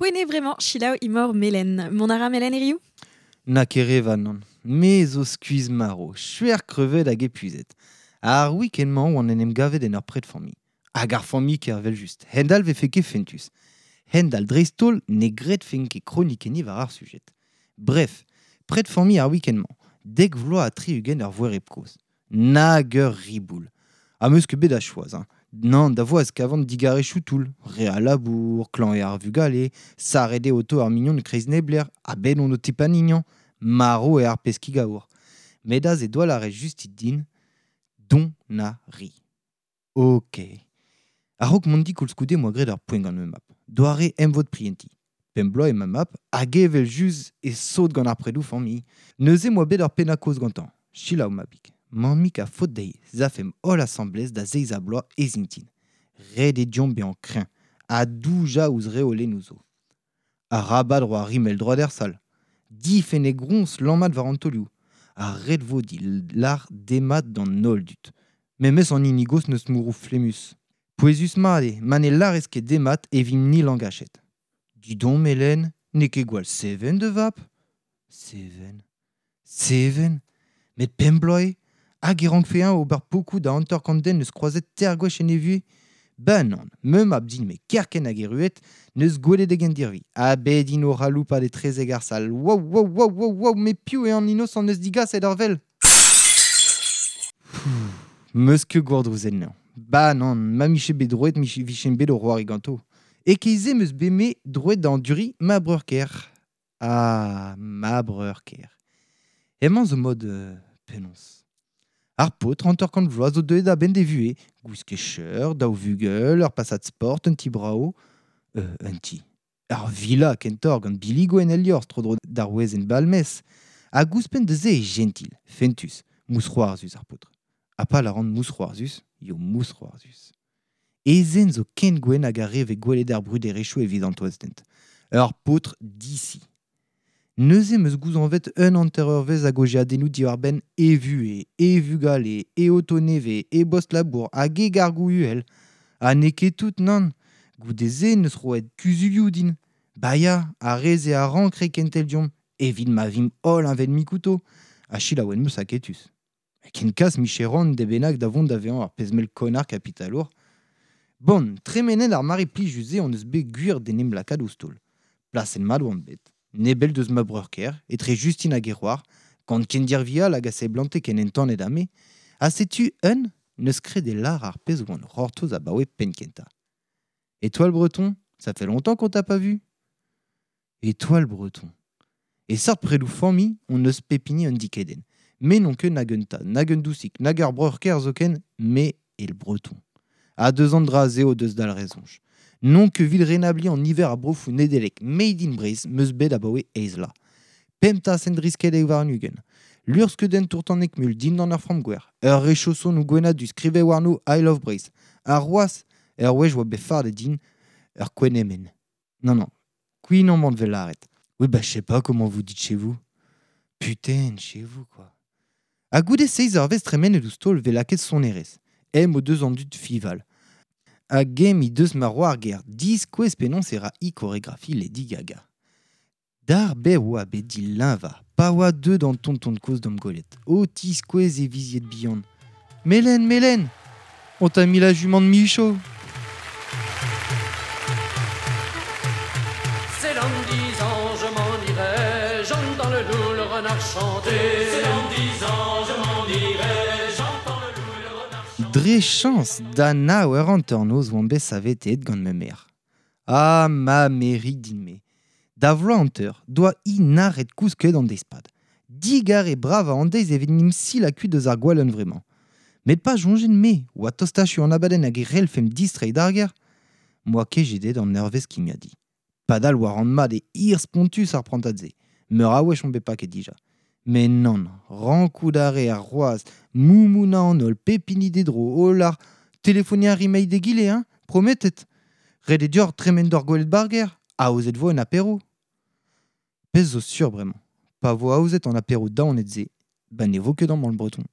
Poene bremañ selaou imor Melen. Mont a ra Melen hiziv? Na ket non. Me zo skuizh marv, chuer krevet hag epuizet. Ar week-end-mañ oan en em gavet en ur pred familh. Hag ar familh ker just. Hendal vefe ket fentus. Hendal dreist-holl ne gredfen ket kronikenniñ war ar sujet. Bref, pred familh ar week-end-mañ. Dek vloaz ha 60 ur voereb kozh. Nag ur riboul. Ha meus ket bet da choaz, hein. Nann, da voaz kavan digarezhioù toull. Re a labour, klañv eo ar vugale, sarret eo oto ar mignon kreiz neblec'h, ha bet on o tepanignañ, marv eo ar peskig aour. Met aze doa lâret justit din, don na ri. Ok. A-raok mont di koulskoude 'moa graet ur poent gant ma mab. Doare emvod prientiñ. Pemp bloaz eo ma mab, hag evel-just e sot gant ar predoù familh. Neuze 'moa bet ur pennad-kaoz gantañ. Selaou mabig. Mammig a faot dezhi 'z afemp holl asambles da zeiz-ha-bloaz ez intin. Ret eo deomp bezañ kreñv ha doujañ ouzh reolennoù zo. Arabat c'hoari mell-droad er sal. Difenn eo groñs lammat war an taolioù. Ha ret vo dit lâr demat d'an holl dud. Memes an hini gozh n'eus mourroù flemmus. Pouezus-mat eo, ma ne lârez ket demat e vimp-ni langachet. Didon, Melen, n'eo ket gwall seven da vab ? Seven. Seven. Met pemp bloaz eo. Hag e rankfe-eñ ober pokoù da 50 den neus kroazet teir gwech en e vuhez ? Ben nann, ma mab din-me kerkent hag erruet, neus gwelet e gendirvi. Ha bet int o c'haloupat etrezek ar sal. Wow, wow, wow, wow, wow, met piv eo an inosant neus digaset ar wel ? Meus ket gourdrouzet anezhañ. Ba nann, ma 'mije bet droet 'vijen bet o c'hoari ganto. E-keit-se 'm eus bet me droet da anduriñ ma breur-kaer. Ah, ma breur-kaer. Hemañ zo mod penaos. Ar paotr 50 vloaz zo deuet a-benn d'e vuhez, gwisket cheur, daou vugel, ur pasad sport, un ti brav. Un ti. Ur villa kentoc'h gant billigoù en el liorzh tro-dro d'ar wezenn balmez. Hag ouzhpenn da se eo jentil, fentus, mousc'hoarzhus ar paotr. Ha pa lâran mousc'hoarzhus, eo mousc'hoarzhus. E zen zo ken gwenn hag ar re 'vez gwelet er bruderezhioù evit an toaz-dent. Ur paotr disi. Neuze 'm eus gouzañvet un hanter-eurvezh a gaozeadennoù diwar-benn e vuhez, e vugale, e oto nevez, e bost-labour hag e gargoù uhel. Ha n'eo ket tout, nann. Goude-se 'neus roet kuzulioù din. Ba ya, ar re-se a rank reiñ kentel deomp, evit ma vimp holl heñvel-mik outo. Ha selaouet 'm eus aketus. Ken kas 'mije c'hoant de bennak da vont da vezañ ur pezh mell konnar kapitalour. Bon, tremenet ar mare plijus-se hon eus bet gwir d'en em lakaat ouzh taol. Plasenn mat oan bet. Nebell deus ma breur-kaer, etre Justin hag e c'hoar, gant kendirvi all hag a seblante ken entanet ha me, ha setu un n'eus ket e lâr ar pezh oan c'hortoz abaoe penn-kentañ. Étoile Breton, ça fait longtemps qu'on t'a pas vu. Étoile Breton. E seurt predoù familh hon eus pep hini un dikedenn. Me n'on ket nag un tad, nag un dousig, nag ur breur-kaer zoken, me eo le breton. Ha deus an dra-se o deus dalc'het soñj. N'on ket evit renabliñ an niver a brofoù Nedeleg made in Breizh 'm eus bet abaoe eizh vloaz. Pemp tasenn driskelek warn-ugent. Luc'hskeudenn tour-tan Eckmühl dindan ur framm-gwer. Ur re chaosonoù gwenn-ha-du skrivet warno I love Breizh. Ha c'hoazh, ur wech oa bet fardet din ur kouign-amann. Non, non, kouign-amann 'vez lâret. Oui, bah je sais pas comment vous dites chez vous. Putain, chez vous quoi. Ha goude seizh eurvezh tremenet ouzh taol 'vez lakaet sonerezh. Em o deus an dud fival. Hag eñ he deus ma c'hoar-gaer diskouez penaos e ra hi choregrafi Lady Gaga. D'ar bev oa bet dileñvañ pa oa deuet an tonton kozh d'am gwelet, o tiskouez e vizied bihan. Melen, Melen, on t'a mis la jument de Michaud. C'est dans 10 ans, je m'en irai, j'entends le loup, le renard chanter. C'est dans 10 ans, je m'en irai, j'entends le loup, le renard chanter. Dre chañs da nav eur hanternoz oan bet saveteet gant ma merc'h. Ah, ma merc'hig din-me. Da vloaz hanter doa hi nac'het kousket an deiz-pad. Digarez bravañ an deiz evit 'n em silañ kuit eus ar gwall hunvre-mañ. Met pa soñjen-me oa tost-achu an abadenn hag e c'hellfemp distreiñ d'ar gêr, 'moa ket jedet an eurvezh kimiadiñ. Padal oa ran mat e hir-spontus ar prantad-se. Meur a wech on bet paket dija. Met nann, rankout a reer c'hoazh moumounañ an holl, pep hini d'e dro, o lâr telefoniñ a rimp eil d'egile, hein, prometet. Ret eo deoc'h tremen d'hor gwelet 'bar gêr, aozet 'vo un apéro. Pezh zo sur bremañ, pa vo aozet an apéro daonet-se, ba ne vo ket amañ le breton.